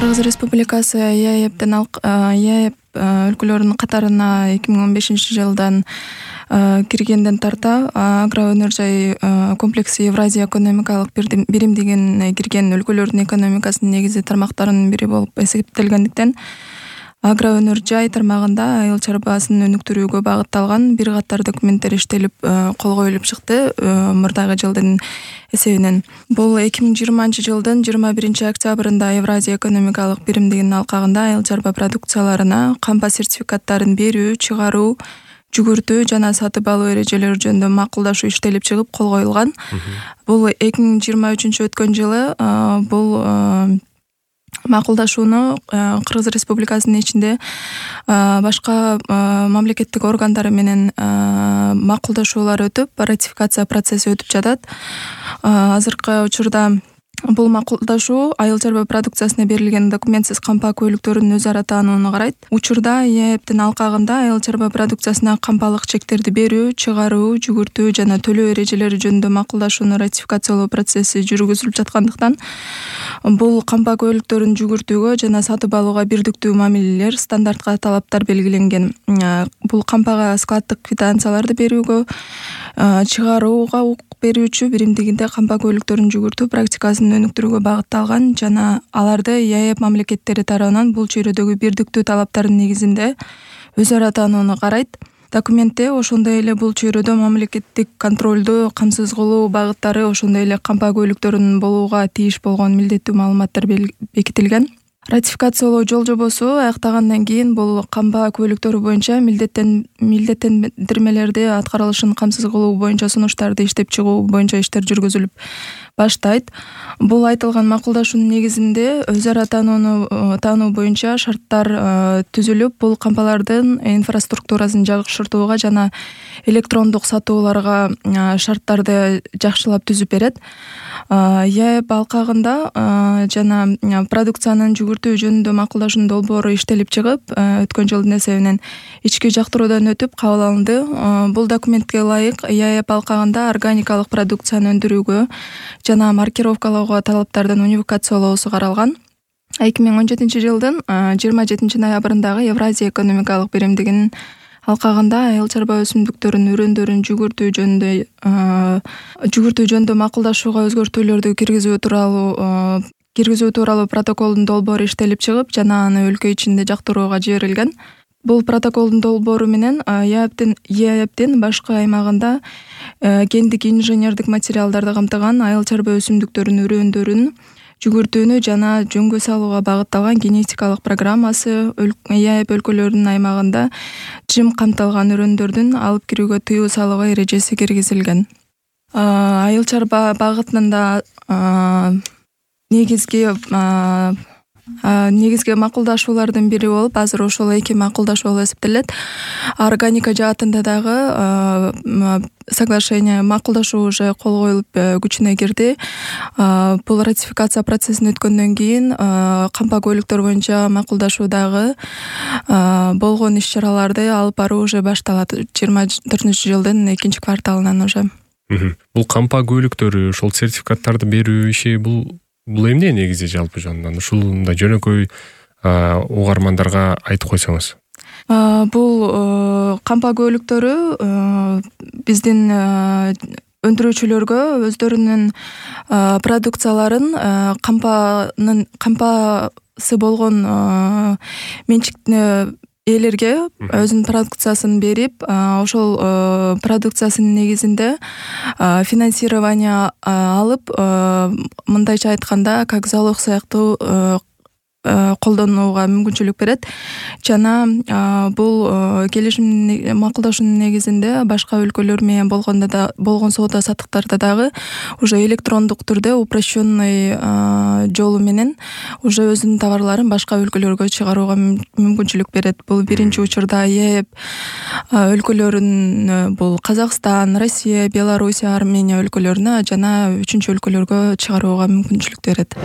Кыргыз Республикасы ЕАЭПтен ЕАЭП өлкөлөрүнүн катарына 2015 жылдан киргенден тарта агроөнөр жай комплекси Евразия экономикалык биримдигине кирген өлкөлөрдүн экономикасынын негизги тармактарынын бири болуп эсептелгендиктен агроөнөр жай тармагында айыл чарбасын өнүктүрүүгө багытталган бир катар документтер иштелип кол коюлуп чыкты мурдагы жылдын эсебинен. Бул 2020 жылдын 21 октябрында Евразия экономикалык биримдигинин алкагында айыл чарба продукцияларына кампа сертификаттарын берүү, чыгаруу, жүгүртүү жана сатып алуу эрежелери жөнүндө макулдашуу иштелип чыгып кол коюлган. Бул 2023 өткөн жылы бул макулдашууну Кыргыз Республикасынын ичинде башка мамлекеттик органдары менен макулдашуулар өтүп, ратификация процесси өтүп жатат. Азыркы учурда бул макулдашуу айыл чарба продукциясына берилген документсиз кампа көйлүктөрүнүн өз ара таанууну карайт. Учурда ЕАЭПтин алкагында айыл чарба продукциясына кампалык чектерди берүү, чыгаруу, жүгүртүү жана төлөө эрежелери жөнүндө макулдашууну ратификациялоо процесси жүргүзүлүп жаткандыктан бул кампа көйлүктөрүн жүгүртүүгө жана сатып алууга бирдиктүү мамилелер, стандартка талаптар белгиленген. Бул кампага складдык квитанцияларды берүүгө, чыгарууга укук берүүчү биримдигинде кампа көйлүктөрүн жүгүртүү практикасын өнүктүрүүгө багытталган жана аларды ЕАЭП мамлекеттери тарабынан бул чөйрөдөгү бирдиктүү талаптардын негизинде өз ара таанууну карайт. Документте ошондой эле бул чөйрөдө мамлекеттик контролду камсыз кылуу багыттары, ошондой эле кампа көйлүктөрүнүн болууга тийиш болгон милдеттүү маалыматтар бекитилген. Ратификациялоо жол жобосу аяктагандан кийин бул кампа көйлүктөрү боюнча милдеттендирмелерди аткарылышын камсыз кылуу боюнча сунуштарды иштеп чыгуу боюнча иштер жүргүзүлүп баштайт. Бул айтылган макулдашуунун негизинде өз ара таануу боюнча шарттар түзүлүп, бул кампалардын инфраструктурасын жакшыртууга жана электрондук сатууларга шарттарды жакшылап түзүп берет. ЕАЭП алкагында жана продукциянын жүгүртүү жөнүндө макулдашуунун долбоору иштелип чыгып, өткөн жылдын эсебинен ички жактыруудан өтүп кабыл алынды. Бул документке ылайык ЕАЭП алкагында органикалык продукцияны өндүрүүгө жана маркировкалоого талаптардын унификациялоосу каралган. 2017 жылдын 27 ноябрындагы Евразия экономикалык биримдигинин алкагында айыл чарба өсүмдүктөрүнүн үрөндөрүн жүгүртүү жөнүндө макулдашууга өзгөртүүлөрдү киргизүү тууралуу протоколдун долбоору иштелип чыгып жана аны өлкө ичинде жактырууга жиберилген. Бул протоколдун долбоору менен ЕАЭПтин башкы аймагында гендик инженердик материалдарды камтыган айыл чарба өсүмдүктөрүнүн үрөндөрүн жүгүртүүнү жана жөнгө салууга багытталган генетикалык программасы ЕАЭП өлкөлөрүнүн аймагында жим камтылган үрөндөрдүн алып кирүүгө тыюу салууга эрежеси киргизилген. Айыл чарба багытында негизги макулдашуулардын бири болуп, азыр ошол эки макулдашуу болуп эсептелет. Органика жаатында дагы соглашение макулдашуу уже кол коюлуп күчүнө кирди. Бул ратификация процессин өткөндөн кийин кампа көйлүктөр боюнча макулдашуудагы болгон иш-чараларды алып баруу уже башталат 24 жылдын 2 кварталынан уже. Бул кампа көйлүктөрү, ошол сертификаттарды берүү иши бул эмне негизи жалпы жанынан? Ушундай жөнөкөй угармандарга айтып койсоңуз. Бул кампа көйлүктөрү биздин өндүрүүчүлөргө өздөрүнүн продукцияларын кампасы болгон менчиктүү ээлерге өзүнүн продукциясын берип, ошол продукциясынын негизинде финансирование алып, мындайча айтканда, как залог сыяктуу колдонууга мүмкүнчүлүк берет. Жана бул келишим макулдашуунун негизинде башка өлкөлөр менен болгон соода саттыктарда дагы уже электрондук түрдө упрощенный жолу менен уже өзүнүн товарларын башка өлкөлөргө чыгарууга мүмкүнчүлүк берет. Бул биринчи учурда ЕАЭП өлкөлөрүн бул Казакстан, Россия, Белоруссия, Армения өлкөлөрүнө жана 3-өлкөлөргө чыгарууга мүмкүнчүлүк берет.